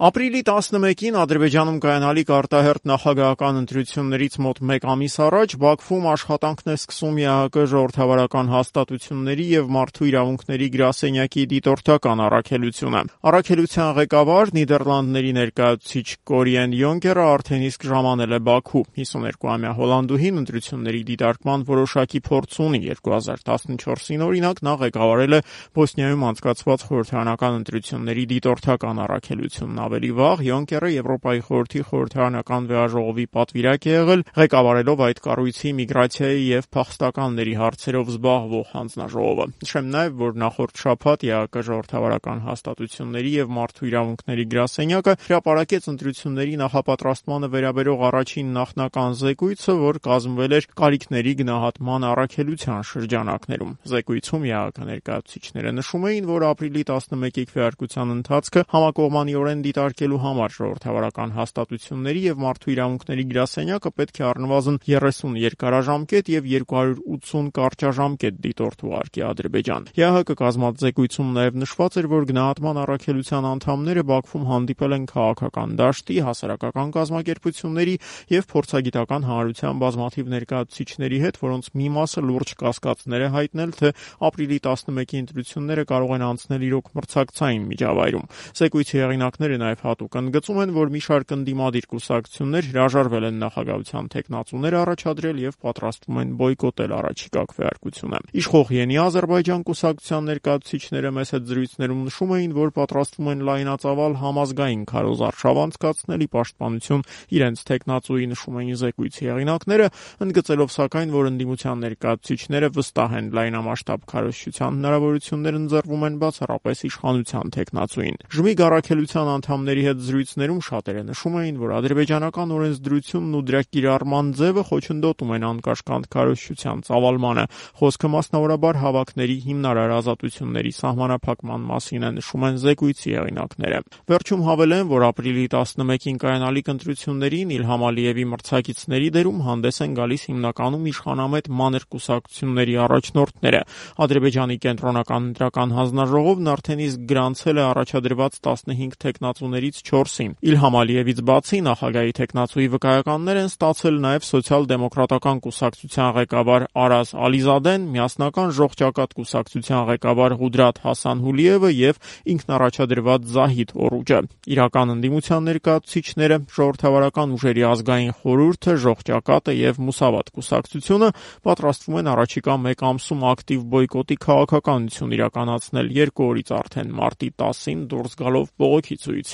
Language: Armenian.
Ապրիլի 11-ին Ադրբեջանում կայանալիք արտահերթ նախագահական ընտրություններից մոտ մեկ ամիս առաջ Բաքվում աշխատանքն է սկսում ԵԱՀԿ ժողովրդավարական հաստատությունների եւ մարդու իրավունքների գրասենյակի դիտորդական առաքելությունը։ Առաքելության ղեկավար Նիդերլանդների ներկայացուցիչ Կորիեն Յոնկերը արդեն իսկ ժամանել է Բաքու։ 52-ամյա հոլանդուհին ընտրությունների դիտարկման որոշակի փորձ ունի։ 2014-ին օրինակ նա ղեկավարել է Բոսնիայում անցկացված խորհրդարանական ընտրությունների դիտորդական առաքելությունն։ Ավելի վաղ Յոնկերը Եվրոպայի խորհրդի խորհրդարանական վեաժողովի պատվիրակ է եղել, ղեկավարելով այդ կառույցի միգրացիայի եւ փախստականների հարցերով զբաղվող հանձնաժողովը։ Նշեմ նաեւ, որ նախորդ շաբաթ ԵԱՀԿ ժողովրդավարական հաստատությունների եւ մարդու իրավունքների գրասենյակը հրապարակեց ընտրությունների նախապատրաստմանը վերաբերող առաջին նախնական զեկույցը, որ կազմվել էր կարիքների գնահատման առաքելության շրջանակներում։ Զեկույցում ԵԱՀԿ ներկայացուցիչները նշում էին, որ ապրիլի 11-ի քվեարկության ընթացքը համակողմանիորեն դիտարկելու համար ժողովրդավարական հաստատությունների եւ մարդու իրավունքների գրասենյակը պետք է առնվազն 30 երկարաժամկետ եւ 280 կարճաժամկետ դիտորդ ուղարկի Ադրբեջան։ ԵԱՀԿ կազմած զեկույցում նաեւ նշված էր, որ գնահատման առաքելության անդամները Բաքվում հանդիպել են քաղաքական դաշտի, հասարակական կազմակերպությունների եւ փորձագիտական հանրության բազմաթիվ ներկայացուցիչների հետ, որոնց մի մասը լուրջ կասկածներ է հայտնել, թե ապրիլի 11-ի ընտրությունները կարող են անցնել իրոք մրցակցային միջավայրում։ Զեկույցի հեղինակները նաև հատուկ ընդգծում են, որ մի շարք ընդդիմադիր կուսակցություններ հրաժարվել են նախագահության թեկնածուներ առաջադրել եւ պատրաստվում են բոյկոտել առաջիկա քվեարկությունը։ Իշխող Ենի Ադրբեջան կուսակցության ներկայացուցիչները մեծ հետ զրույցներում նշում էին, որ պատրաստվում են լայնածավալ համազգային քարոզարշավ անցկացնել ի պաշտպանություն իրենց թեկնածուի, նշում էին զեկույցի հեղինակները, ընդգծելով սակայն, որ ընդդիմության ներկայացուցիչները վստահ են լայնամասշտաբ քարոզչության հնարավորություններ ընձեռվում են բացառապես իշխանության թեկնածուին։ Ժմիգ առաքելության անդամների հետ զրույցներում շատերը նշում էին, որ ադրբեջանական օրենսդրությունն ու դրա կիրառման ձևը խոչընդոտում են անկաշկանդ քարոզչության ծավալմանը։ Խոսքը մասնավորաբար հավաքների հիմնարար ազատությունների սահմանափակման մասին է, նշում են զեկույցի հեղինակները։ Վերջում հավելեն, որ ապրիլի 11-ին կայանալիք ընտրություններին Իլհամ Ալիևի մրցակիցների դերում հանդես են գալիս հիմնականում իշխանամետ մանր կուսակցությունների առաջնորդները։ Ադրբեջանի կենտրոնական ընտրական հանձնաժողովն արդեն իսկ գրանցել է առաջադրված 15 թեկնածուներից 4-ին։ Իլհամ Ալիևից բացի նախագահի թեկնածուի վկայականներ են ստացել նաև սոցիալ-դեմոկրատական կուսակցության ղեկավար Արազ Ալիզադեն, միասնական ժողջակատ կուսակցության ղեկավար Ղուդրաթ Հասանհուլիևը եւ ինքնառաջադրված Զահիդ Օռուջը։ Իրական ընդդիմության ներկայացուցիչները ժողովրդավարական ուժերի ազգային խորհուրդը, ժողջակատը եւ Մուսավատ կուսակցությունը պատրաստվում են առաջիկա մեկ ամսում ակտիվ բոյկոտի քաղաքականություն իրականացնել 2 օրից արդեն մարտի 10-ին դուրս գալով բողոքի ցույց։